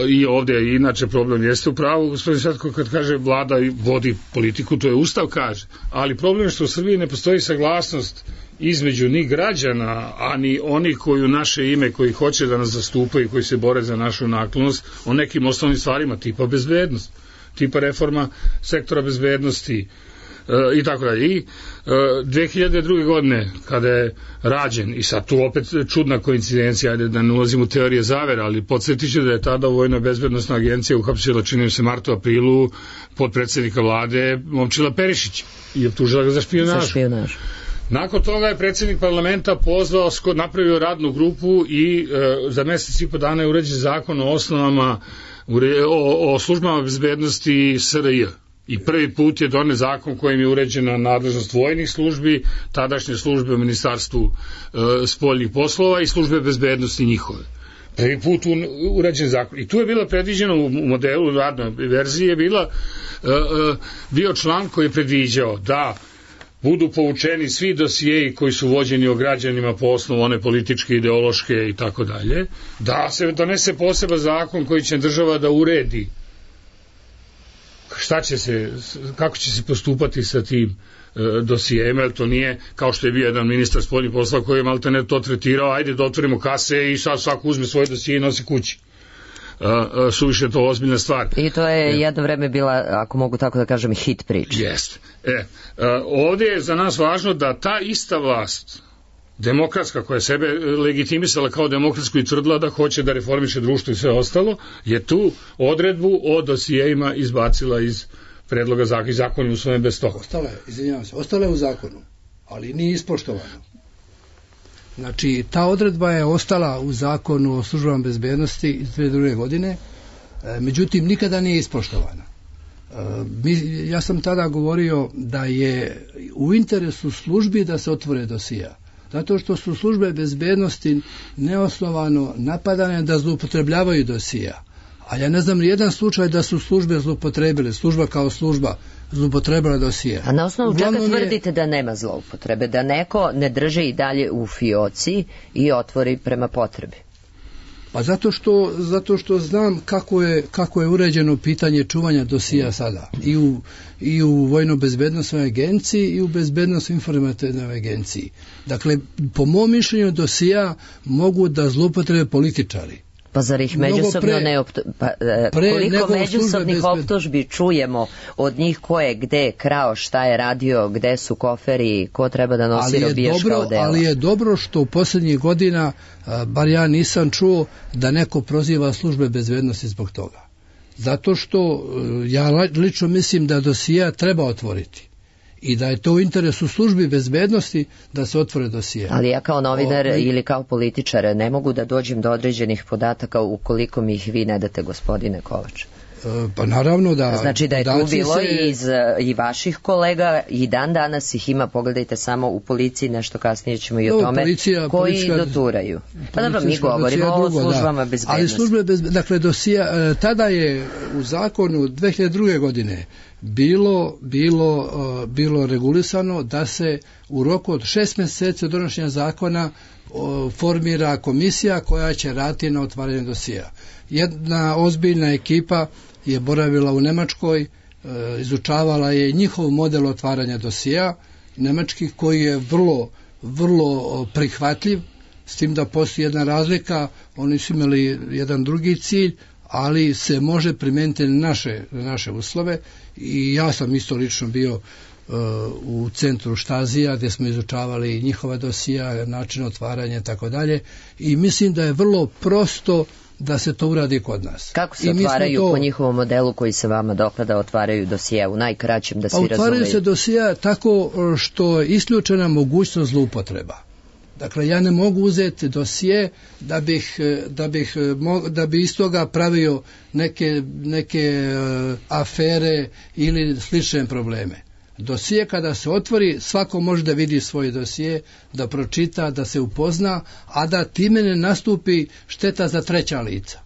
I ovdje, inače, problem jeste u pravu, gospodin Svetko, kad kaže vlada i vodi politiku, to je Ustav kaže, ali problem je što u Srbiji ne postoji saglasnost između ni građana, a ni oni koji u naše ime, koji hoće da nas zastupaju, koji se bore za našu naklonost, o nekim osnovnim stvarima, tipa bezbednost, tipa reforma sektora bezbednosti e, i tako dalje. I e, dve hiljade druge. godine, kada je rađen, i sad tu opet čudna koincidencija, ajde da ne ulazim u teorije zavera, ali podsjetit ću da je tada Vojna bezbednostna agencija uhapsila, čini se, martu, aprilu, podpredsednika vlade Momčila Perišića i optužila ga za špijunažu. Za špijunažu. Nakon toga je predsjednik parlamenta pozvao, napravio radnu grupu i e, za mjesec i po dana je uređen zakon o osnovama, o, o službama bezbednosti S R J. I prvi put je donet zakon kojim je uređena nadležnost vojnih službi, tadašnje službe u Ministarstvu e, spoljnih poslova i službe bezbednosti njihove. Prvi put urađen zakon. I tu je bilo predviđeno u modelu radnoj verziji je bila, e, e, bio član koji je predviđao da budu poučeni svi dosijeji koji su vođeni o građanima po osnovu one političke, ideološke i tako dalje, da se donese poseban zakon koji će država da uredi šta će se, kako će se postupati sa tim e, dosijejima, jer to nije kao što je bio jedan ministar spoljnih poslova koji je maltene to tretirao, ajde da otvorimo kase i sad svako uzme svoje dosije i nosi kući. Uh, uh, suviše to ozbiljna stvar. I to je jedno vreme bila, ako mogu tako da kažem, hit priča. Jeste. E, uh, ovdje je za nas važno da ta ista vlast, demokratska, koja je sebe legitimisala kao demokratsku i tvrdila da hoće da reformiše društvo i sve ostalo, je tu odredbu o dosijejima izbacila iz predloga zakona i zakon je usvojen bez toga. Ostala je, izvinjavam se, ostala je u zakonu, ali nije ispoštovano. Znači, ta odredba je ostala u zakonu o službama bezbednosti iz dve hiljade druge. godine, e, međutim, nikada nije ispoštovana. E, mi, ja sam tada govorio da je u interesu službi da se otvore dosija, zato što su službe bezbednosti neosnovano napadane da zloupotrebljavaju dosija. A ja ne znam ni jedan slučaj da su službe zloupotrebile, služba kao služba zloupotrebila dosije. A na osnovu čega tvrdite je... da nema zloupotrebe, da neko ne drži i dalje u fioci i otvori prema potrebi? Pa zato što, zato što znam kako je, kako je uređeno pitanje čuvanja dosija sada. I u, i u Vojno-bezbednostnoj agenciji i u Bezbednosno-informativnoj agenciji. Dakle, po mom mišljenju dosija mogu da zloupotrebe političari. Pa zar ih Mnogo međusobno pre- ne optu... pa, e, pre koliko nego međusobnih službe bezbed- optužbi čujemo od njih ko je gde krao, šta je radio, gde su koferi, ko treba da nosi ali je robijaška dobro, odela. ali je dobro što u posljednjih godina, a, bar ja nisam čuo da neko proziva službe bezbednosti zbog toga. Zato što e, ja lično mislim da dosija treba otvoriti i da je to u interesu službi bezbednosti da se otvore dosije. Ali ja kao novinar O, ili kao političar ne mogu da dođem do određenih podataka ukoliko mi ih vi ne date, gospodine Kovač. Pa naravno da... Znači da je tu podaci bilo se- i, iz, i vaših kolega i dan danas ih ima, pogledajte samo u policiji, nešto kasnije ćemo i o Dobro, tome, policija- koji policijska- doturaju. Pa dobro, mi Policijska govorimo dosija o drugo, službama da. bezbednosti. Ali službe bez, dakle dosija, e, tada je u zakonu dve hiljade druge. godine bilo, bilo, e, bilo regulisano da se u roku od šest mjeseci od donošenja zakona o, formira komisija koja će raditi na otvaranju dosija. Jedna ozbiljna ekipa je boravila u Nemačkoj, e, izučavala je njihov model otvaranja dosija nemačkih koji je vrlo, vrlo prihvatljiv, s tim da postoji jedna razlika, oni su imali jedan drugi cilj, ali se može primijeniti na naše, na naše uslove i ja sam isto lično bio uh, u centru Štazija gdje smo izučavali njihova dosija, način otvaranja i tako dalje i mislim da je vrlo prosto da se to uradi kod nas. Kako se I mi smo otvaraju to- po njihovom modelu koji se vama dopada, otvaraju dosije u najkraćem da Pa svi otvaraju razumeju? se dosija tako što je isključena mogućnost zloupotreba. Dakle, ja ne mogu uzeti dosije da bih, da bih, mo- da bi iz toga pravio neke, neke e, afere ili slične probleme. Dosije kada se otvori, svako može da vidi svoje dosije, da pročita, da se upozna, a da time ne nastupi šteta za treća lica.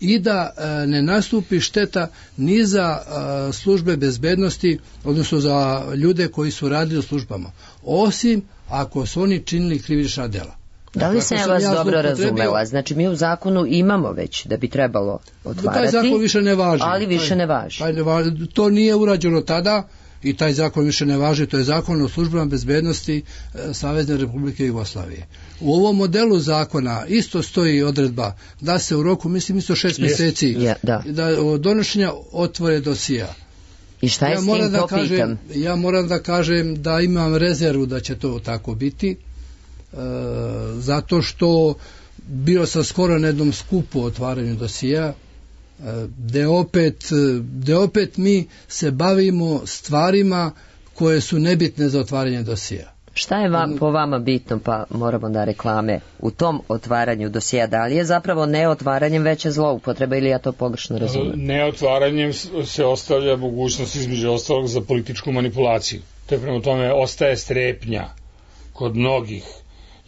I da e, ne nastupi šteta ni za e, službe bezbednosti, odnosno za ljude koji su radili u službama, osim ako su oni činili krivična dela. Da li Dakle, sam ako ja vas ja dobro zloupotrebio- razumela? Znači mi u zakonu imamo već da bi trebalo otvarati, Taj zakon više ne važi. ali više Taj- ne važi. taj ne važi. To nije urađeno tada i taj zakon više ne važi. To je zakon o službama bezbednosti e, Savezne Republike Jugoslavije. U ovom modelu zakona isto stoji odredba da se u roku, mislim isto šest mjeseci, Je, da. da od donošenja otvore dosija. I šta je Ja s moram tim, da to kažem, pitam? ja moram da kažem da imam rezervu da će to tako biti, e, zato što bio sam skoro na jednom skupu o otvaranju dosija, e, gde opet, gde opet mi se bavimo stvarima koje su nebitne za otvaranje dosija. Šta je vam, po vama bitno, pa moramo da reklame, u tom otvaranju dosija? Da li je zapravo ne otvaranjem veća zloupotreba ili ja to pogrešno razumijem? Neotvaranjem se ostavlja mogućnost između ostalog za političku manipulaciju. Te prema tome ostaje strepnja kod mnogih.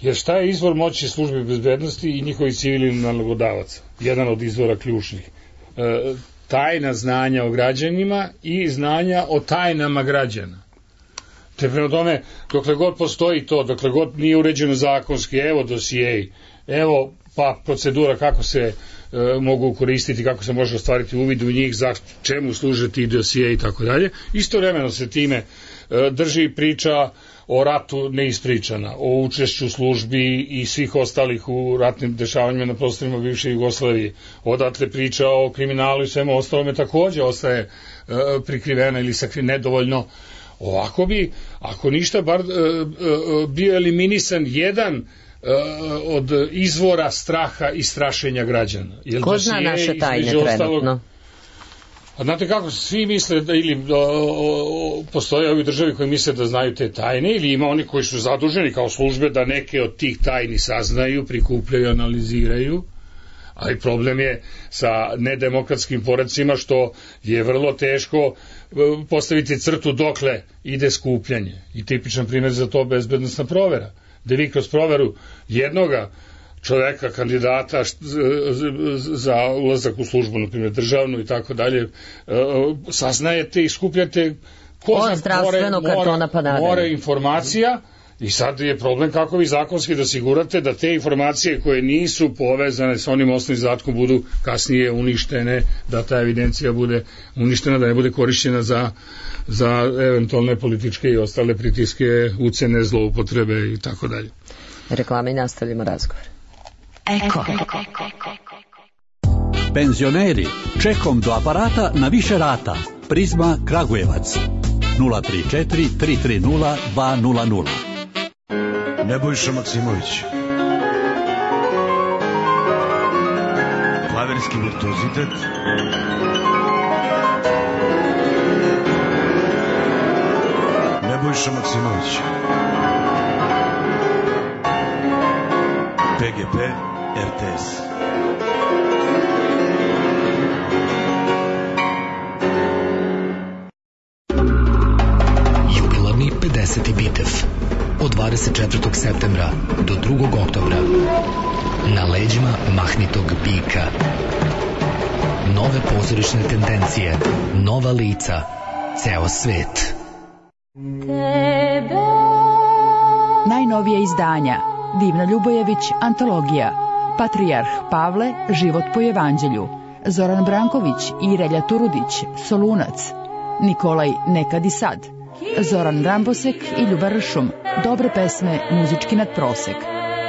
Jer šta je izvor moći službe bezbednosti i njihovi civilni nalogodavaca? Jedan od izvora ključnih. E, tajna znanja o građanima i znanja o tajnama građana. Te prema tome, dokle god postoji to, dokle god nije uređeno zakonski, evo dosijeji, evo pa procedura kako se e, mogu koristiti, kako se može ostvariti uvid u njih, za čemu služe ti dosijeji i tako dalje. Istovremeno se time e, drži priča o ratu neispričana, o učešću službi i svih ostalih u ratnim dešavanjima na prostorima bivše Jugoslavije. Odatle priča o kriminalu i svemu ostalome takođe ostaje e, prikrivena ili sakri nedovoljno. Ovako bi, ako ništa, bar e, e, bio eliminisan jedan e, od izvora straha i strašenja građana. Jer Ko zna dosije, naše tajne između ostalog, trenutno? A znate kako, svi misle da ili o, o, postoje ovi državi koji misle da znaju te tajne ili ima oni koji su zaduženi kao službe da neke od tih tajni saznaju, prikupljaju, analiziraju, ali problem je sa nedemokratskim poredcima što je vrlo teško postaviti crtu dokle ide skupljanje. I tipičan primjer za to bezbednosna provera, gde vi kroz proveru jednoga čoveka, kandidata za ulazak u službu, na primjer državnu i tako dalje, saznajete i skupljate ko Od zna zdravstvenog more, kartona pa nadalje. more informacija. I sad je problem kako vi zakonski da osigurate da te informacije koje nisu povezane sa onim osnovnim zadatkom budu kasnije uništene, da ta evidencija bude uništena, da ne bude korišćena za, za eventualne političke i ostale pritiske, ucene, zloupotrebe i tako dalje. Reklame i nastavljamo razgovor. Eko. Penzioneri, čekom do aparata na više rata. Prizma Kragujevac. nula tri četiri tri tri nula dva nula nula. Nebojša Maksimović. Klavirski virtuozitet. Nebojša Maksimović. P G P R T S. Jubilarni pedeseti Bitev od dvadeset četvrtog septembra do drugog oktobra na leđima mahnitog bika. Nove pozorišne tendencije, nova lica, ceo svet. Najnovije izdanja: Divna Ljubojević, antologija, Patrijarh Pavle, život po evanđelju, Zoran Branković i Relja Turudić, Solunac, Nikolaj Nekad i sad, Zoran Rambosek i Ljuba Ršum, dobre pesme, muzički nadprosek.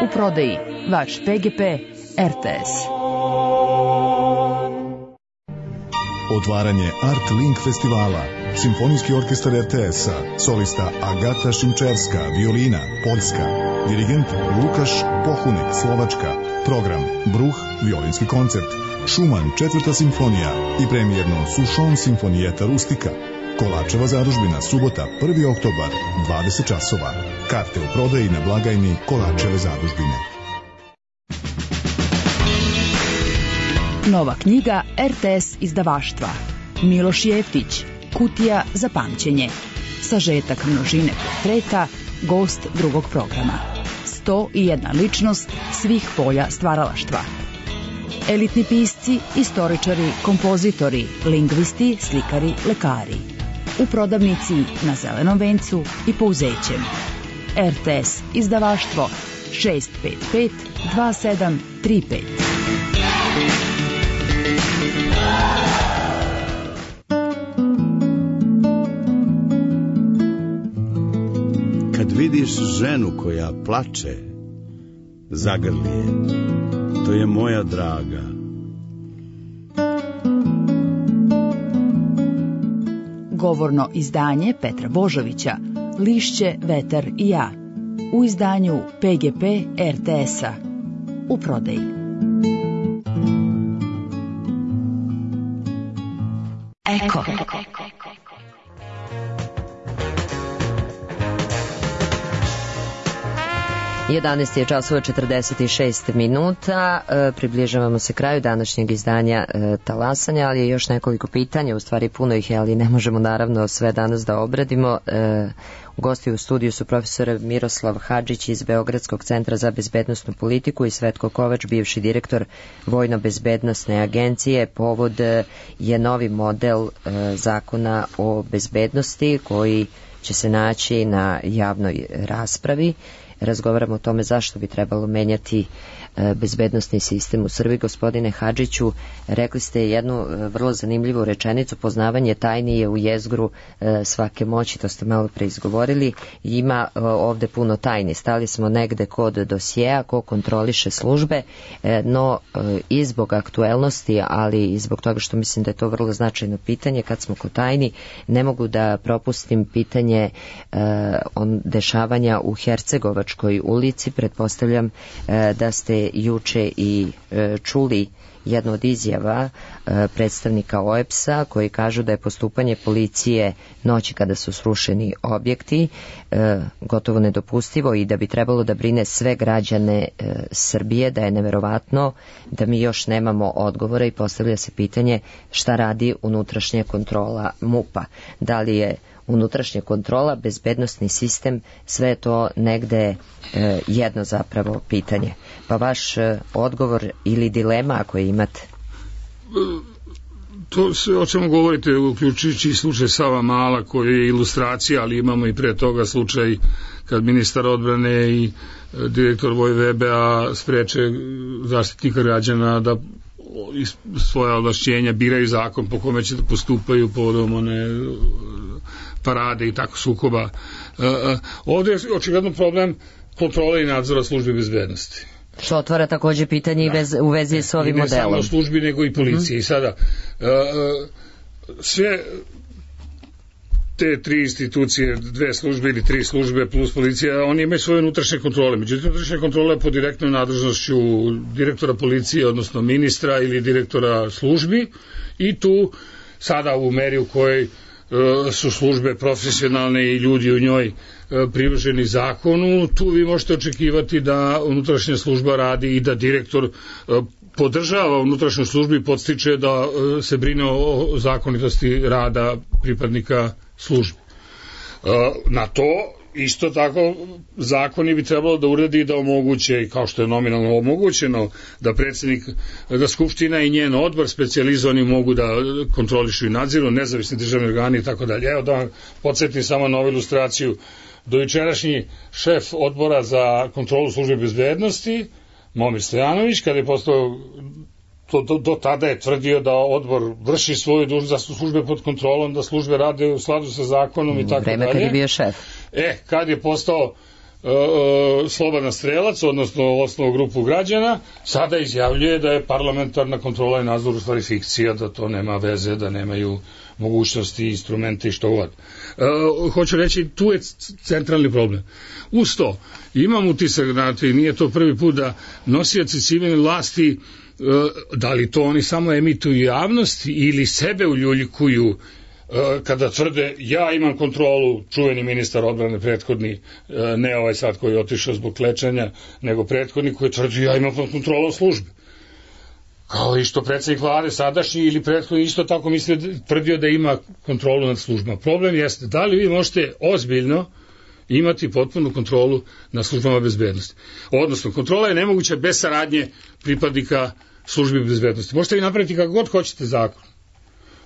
U prodaji vaš P G P R T S. Otvaranje Art Link festivala. Simfonijski orkestar R T S-a, solista Agata Šimčevska, violina, Poljska, dirigent Lukaš Pohunek, Slovačka, program Bruh, violinski koncert, Šuman, četvrta simfonija i premijerno Sušon simfonijeta Rustika. Kolačeva zadužbina, subota, prvi oktobar, dvadeset časova. Karte u prodaji na blagajni Kolačeve zadužbine. Nova knjiga R T S izdavaštva. Miloš Jeftić, Kutija za pamćenje. Sažetak množine portreta, gost drugog programa. sto i jedna ličnost svih polja stvaralaštva. Elitni pisci, istoričari, kompozitori, lingvisti, slikari, lekari. U prodavnici na Zelenom vencu i Pouzećem. R T S izdavaštvo šest pet pet dva sedam tri pet. Kad vidiš ženu koja plače, zagrli je, to je moja draga. Govorno izdanje Petra Božovića, Lišće, vetar i ja. U izdanju P G P R T S-a. U prodaji. Eko. jedanaest je časova četrdeset šest minuta, e, približavamo se kraju današnjeg izdanja e, Talasanja, ali je još nekoliko pitanja, u stvari puno ih je, ali ne možemo naravno sve danas da obradimo. E, gosti u studiju su profesor Miroslav Hadžić iz Beogradskog centra za bezbednosnu politiku i Svetko Kovač, bivši direktor Vojno-bezbednosne agencije. Povod je novi model e, zakona o bezbednosti koji će se naći na javnoj raspravi. Razgovaramo o tome zašto bi trebalo menjati bezbednosni sistem u Srbiji. Gospodine Hadžiću, rekli ste jednu vrlo zanimljivu rečenicu: poznavanje tajni je u jezgru svake moći, to ste malo pre izgovorili. Ima ovde puno tajni, stali smo negde kod dosjeja, ko kontroliše službe, no i zbog aktuelnosti, ali i zbog toga što mislim da je to vrlo značajno pitanje, kad smo kod tajni, ne mogu da propustim pitanje on dešavanja u Hercegovačkoj ulici. Pretpostavljam da ste juče i e, čuli jednu od izjava e, predstavnika O E P S-a koji kažu da je postupanje policije noći kada su srušeni objekti e, gotovo nedopustivo i da bi trebalo da brine sve građane e, Srbije, da je neverovatno da mi još nemamo odgovora i postavlja se pitanje šta radi unutrašnja kontrola MUP-a. Da li je unutrašnja kontrola, bezbednosni sistem, sve je to negde e, jedno zapravo pitanje. Pa vaš e, odgovor ili dilema ako je imate? To sve o čemu govorite, uključujući slučaj Sava Mala koji je ilustracija, ali imamo i pre toga slučaj kad ministar odbrane i direktor Vojvebe-a spreče zaštitnika građana da svoja ovlašćenja biraju zakon po kome će da postupaju povodom one parade i tako sukoba. Ovdje je očigledno problem kontrole i nadzora službe bezbednosti. Što otvara takođe pitanje i vez, u vezi s ovim modelom. I ne samo službi, nego i policiji. Mm-hmm. Sada, uh, sve te tri institucije, dve službe ili tri službe plus policija, oni imaju svoje unutrašnje kontrole. Međutim, unutrašnja kontrola je pod direktnom nadležnošću direktora policije, odnosno ministra ili direktora službi, i tu sada u meri u kojoj su službe profesionalne i ljudi u njoj privrženi zakonu, tu vi možete očekivati da unutrašnja služba radi i da direktor podržava unutrašnju službu i podstiče da se brine o zakonitosti rada pripadnika službi. Na to isto tako zakoni bi trebalo da uredi i da omoguće, kao što je nominalno omogućeno, da predsjednik, da skupština i njen odbor specijalizovani mogu da kontrolišu i nadziru, nezavisni državni organi i tako dalje. Evo da vam podsjetim samo na ovu ilustraciju. Dojučerašnji šef odbora za kontrolu službe bezbednosti, Momir Stojanović, kada je postao, to, do, do tada je tvrdio da odbor vrši svoju dužnost, da su službe pod kontrolom, da službe rade u skladu sa zakonom i tako dalje. Vreme kad je bio šef. E, kad je postao uh, slobodan strelac, odnosno osnovnu grupu građana, sada izjavljuje da je parlamentarna kontrola i nadzor u stvari fikcija, da to nema veze, da nemaju mogućnosti, instrumente i što god. Uh, hoću reći, tu je centralni problem. Uz to, imam utisak, znate, nije to prvi put da nosioci civilne vlasti, uh, da li to oni samo emituju javnost ili sebe uljuljkuju uh, kada tvrde ja imam kontrolu, čuveni ministar odbrane prethodni, uh, ne ovaj sad koji je otišao zbog lečenja, nego prethodni koji tvrdi ja imam kontrolu službe. Kao i što predsjednik vlade sadašnji ili prethodni isto tako misli, tvrdio da ima kontrolu nad službama. Problem jeste da li vi možete ozbiljno imati potpunu kontrolu nad službama bezbednosti. Odnosno, kontrola je nemoguća bez saradnje pripadnika službi bezbednosti. Možete vi napraviti kako god hoćete zakon.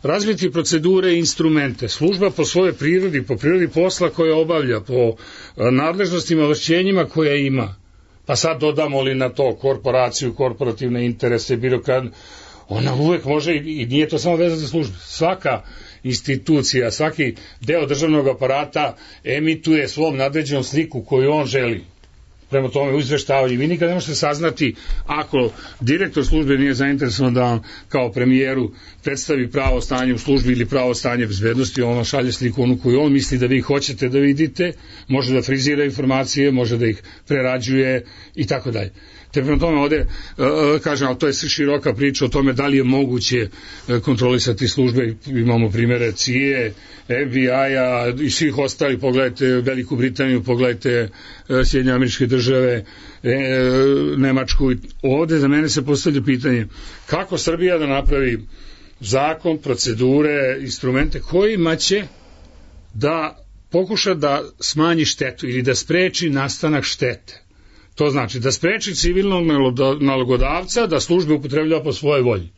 Razviti procedure i instrumente. Služba po svojoj prirodi, po prirodi posla koje obavlja, po nadležnostima, ovlašćenjima koje ima. Pa sad dodamo li na to korporaciju, korporativne interese, birokrat, ona uvek može i nije to samo vezano za službu. Svaka institucija, svaki deo državnog aparata emituje svom nadređenom sliku koju on želi. Prema tome u izveštavanju. Vi nikad ne možete saznati ako direktor službe nije zainteresovan da vam kao premijeru predstavi pravo stanje u službi ili pravo stanje bezbednosti, on vam šalje sliku onu koju on misli da vi hoćete da vidite, može da frizira informacije, može da ih prerađuje i tako dalje. Te prema tome ovde, uh, kažem, ali to je široka priča o tome da li je moguće uh, kontrolisati službe. Imamo primere C I A, F B I-a i svih ostali, pogledajte Veliku Britaniju, pogledajte uh, Sjedinjene Američke Države, e, Nemačku. Ovde za mene se postavlja pitanje kako Srbija da napravi zakon, procedure, instrumente kojima će da pokuša da smanji štetu ili da spreči nastanak štete. To znači da spreči civilnog nalogodavca da službe upotrebljava po svojoj volji,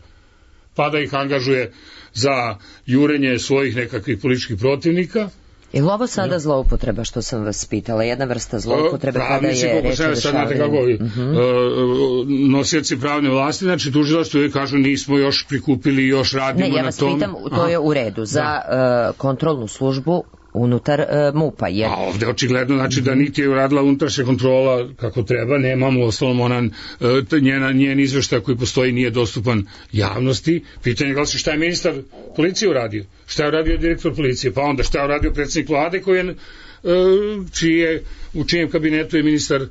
pa da ih angažuje za jurenje svojih nekakvih političkih protivnika. Je li ovo sada zloupotreba, što sam vas pitala, jedna vrsta zloupotrebe kada je reč o dešavanju? Nosioci pravne vlasti, znači tužilaštvo uvijek kažu nismo još prikupili, još radimo na tom. Ne, ja vas pitam, to je u redu, za kontrolnu službu unutar uh, MUP-a. Jer... A ovde očigledno znači da niti je uradila unutrašnja kontrola kako treba, nemamo osnovno onan, uh, njena, njen izveštaj koji postoji nije dostupan javnosti. Pitanje je glasi šta je ministar policije uradio, šta je uradio direktor policije, pa onda šta je uradio predsjednik vlade koji je, uh, čije, u čijem kabinetu je ministar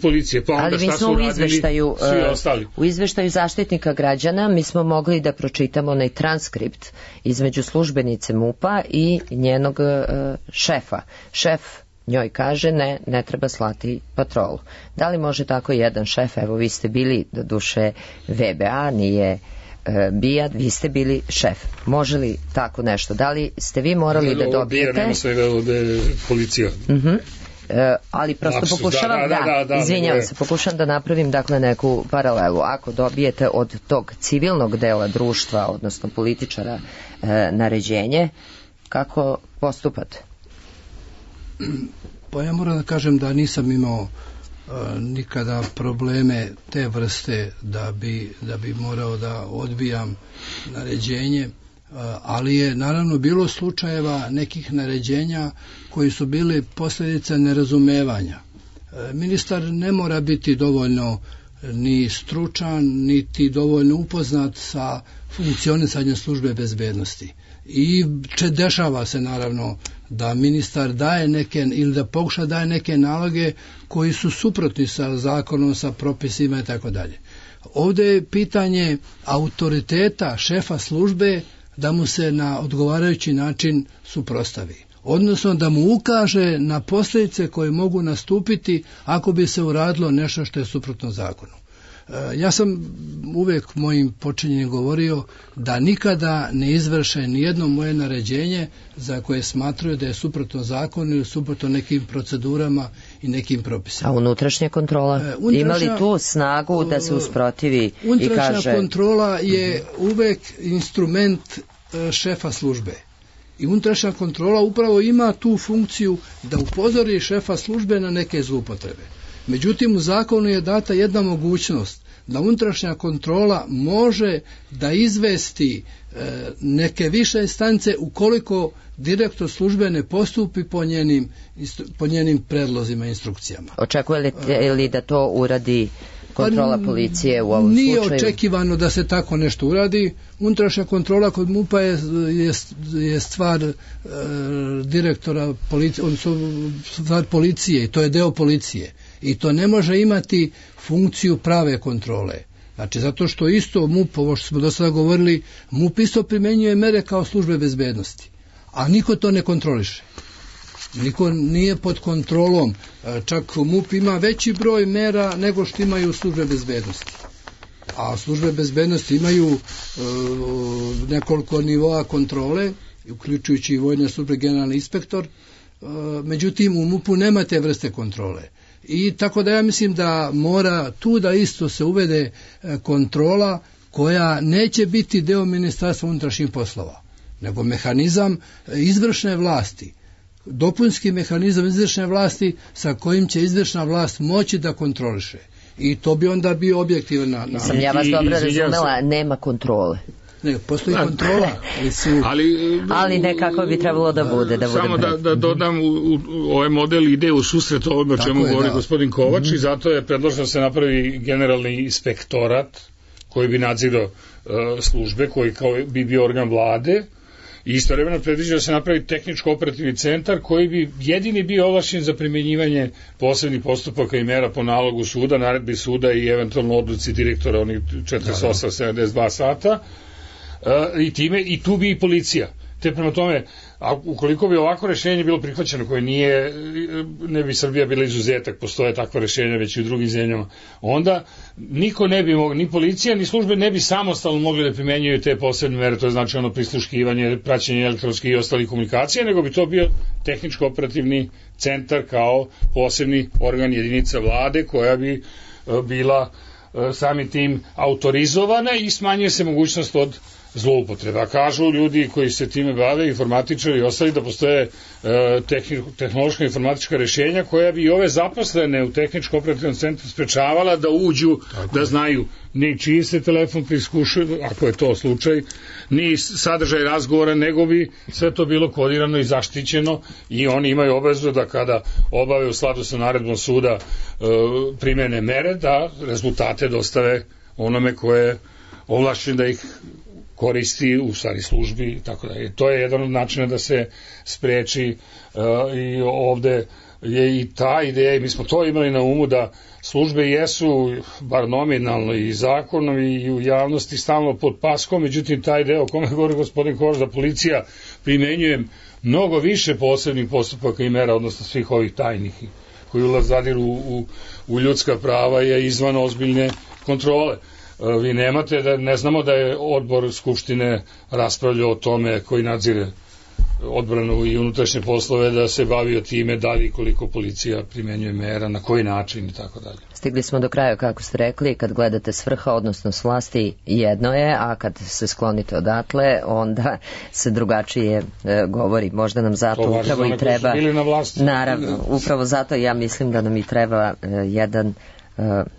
policije, pa onda ali šta su u izveštaju, svi ostali. U izveštaju Zaštitnika građana mi smo mogli da pročitamo onaj transkript između službenice MUP-a i njenog uh, šefa. Šef njoj kaže ne, ne treba slati patrolu. Da li može tako jedan šef, evo vi ste bili do duše V B A, nije uh, BIA, vi ste bili šef. Može li tako nešto? Da li ste vi morali ne, da dobijete... BIA nema svega ovde policija. Mhm. Uh, ali prosto Lapsus, pokušavam da, da, da, da, da izvinjavam da, se, pokušavam da napravim dakle neku paralelu. Ako dobijete od tog civilnog dela društva, odnosno političara, e, naređenje, kako postupate? Pa ja moram da kažem da nisam imao e, nikada probleme te vrste da bi, da bi morao da odbijam naređenje, ali je naravno bilo slučajeva nekih naređenja koji su bili posljedica nerazumevanja. Ministar ne mora biti dovoljno ni stručan, niti dovoljno upoznat sa funkcionisanjem službe bezbednosti. I če dešava se naravno da ministar daje neke ili da pokuša daje neke naloge koji su suprotni sa zakonom, sa propisima i tako dalje. Ovdje je pitanje autoriteta šefa službe da mu se na odgovarajući način suprotstavi. Odnosno da mu ukaže na posljedice koje mogu nastupiti ako bi se uradilo nešto što je suprotno zakonu. Ja sam uvijek mojim počinjenjem govorio da nikada ne izvrše nijedno moje naređenje za koje smatruju da je suprotno zakonu ili suprotno nekim procedurama i nekim propisima. A unutrašnja kontrola? E, unutrašnja, ima li tu snagu da se usprotivi i kaže... Unutrašnja kontrola je uvijek instrument šefa službe. I unutrašnja kontrola upravo ima tu funkciju da upozori šefa službe na neke zloupotrebe. Međutim, u zakonu je data jedna mogućnost da unutrašnja kontrola može da izvesti e, neke više instance ukoliko direktor službe ne postupi po njenim, po njenim predlozima i instrukcijama. Očekuje li da to uradi kontrola policije u ovom Nije slučaju? Nije očekivano da se tako nešto uradi. Unutrašnja kontrola kod MUP-a je, je, je stvar e, direktora policije, odnosno stvar policije i to je deo policije. I to ne može imati funkciju prave kontrole. Znači, zato što isto MUP, ovo što smo do sada govorili, MUP isto primjenjuje mere kao službe bezbednosti. A niko to ne kontroliše. Niko nije pod kontrolom. Čak MUP ima veći broj mera nego što imaju službe bezbednosti. A službe bezbednosti imaju e, nekoliko nivoa kontrole, uključujući i vojne službe, generalni inspektor. E, međutim, u MUP-u nema te vrste kontrole. I tako da ja mislim da mora tu da isto se uvede kontrola koja neće biti deo Ministarstva unutrašnjih poslova, nego mehanizam izvršne vlasti, dopunski mehanizam izvršne vlasti sa kojim će izvršna vlast moći da kontroliše. I to bi onda bio objektivna... Na... Sam ja vas dobro razumela, nema kontrole. Ne, postoji kontrola. Ali, su... ali, ali nekako bi trebalo da bude. Da samo bude da, da dodam, u, u, ovaj model ide u susret ovome o čemu je, govori da. gospodin Kovač mm-hmm. i zato je predloženo da se napravi generalni inspektorat koji bi nadzirao uh, službe, koji kao bi bio organ vlade i istovremeno predviđa da se napravi tehničko-operativni centar koji bi jedini bio ovlašćen za primjenjivanje posebnih postupaka i mera po nalogu suda, naredbi suda i eventualno odluci direktora onih četrdeset osam sedamdeset dva sata. Uh, i time i tu bi i policija. Te prema tome, a ukoliko bi ovako rešenje bilo prihvaćeno, koje nije, ne bi Srbija bila izuzetak, postoje takva rešenja već i u drugim zemljama, onda niko ne bi mogli, ni policija, ni službe ne bi samostalno mogli da primenjuju te posebne mere, to je znači ono prisluškivanje, praćenje elektronskih i ostalih komunikacija, nego bi to bio tehničko-operativni centar kao posebni organ jedinica vlade koja bi uh, bila uh, samim tim autorizovana i smanjuje se mogućnost od zloupotreba. Kažu ljudi koji se time bave, informatičari i ostali, da postoje e, tehnološka informatička rješenja koja bi i ove zaposlene u tehničko-operativnom centru sprečavala da uđu, tako, da znaju ni čiji se telefon priskušuje, ako je to slučaj, ni sadržaj razgovora, nego bi sve to bilo kodirano i zaštićeno i oni imaju obavezu da kada obave u skladu sa naredbom suda e, primene mere, da rezultate dostave onome koje je ovlašćen da ih koristi u stvari službi i tako da. To je jedan od načina da se spreči uh, i ovde je i ta ideja i mi smo to imali na umu da službe jesu bar nominalno i zakonom i u javnosti stalno pod paskom, međutim taj deo o kome govori gospodin Kovač da policija primenjuje mnogo više posebnih postupaka i mera, odnosno svih ovih tajnih koji ulaz zadiru u, u, u ljudska prava je izvan ozbiljne kontrole. Vi nemate, da ne znamo da je odbor Skupštine raspravljao o tome koji nadzire odbranu i unutrašnje poslove, da se bavio time da li koliko policija primenjuje mera, na koji način i tako dalje. Stigli smo do kraja, kako ste rekli, kad gledate s vrha, odnosno s vlasti, jedno je, a kad se sklonite odatle, onda se drugačije e, govori. Možda nam zato to upravo i treba... Na vlasti. Naravno, upravo zato ja mislim da nam i treba e, jedan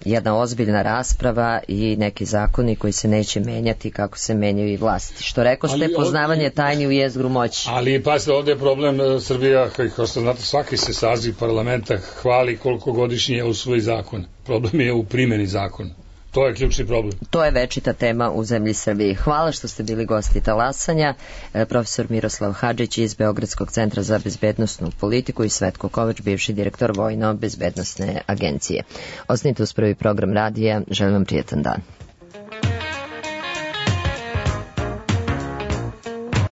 jedna ozbiljna rasprava i neki zakoni koji se neće menjati kako se menjaju i vlasti. Što rekao ste, ali, poznavanje tajni u jezgru moći. Ali pasite, ovdje je problem Srbija, kao što znate, svaki se saziv parlamenta hvali koliko godišnje usvoji zakon. Problem je u primjeni zakona. To je ključni problem. To je večita tema u zemlji Srbiji. Hvala što ste bili gosti talasanja. Profesor Miroslav Hadžić iz Beogradskog centra za bezbednosnu politiku i Svetko Kovač, bivši direktor Vojno-bezbednosne agencije. Ostanite uz prvi program radija. Želim vam prijetan dan.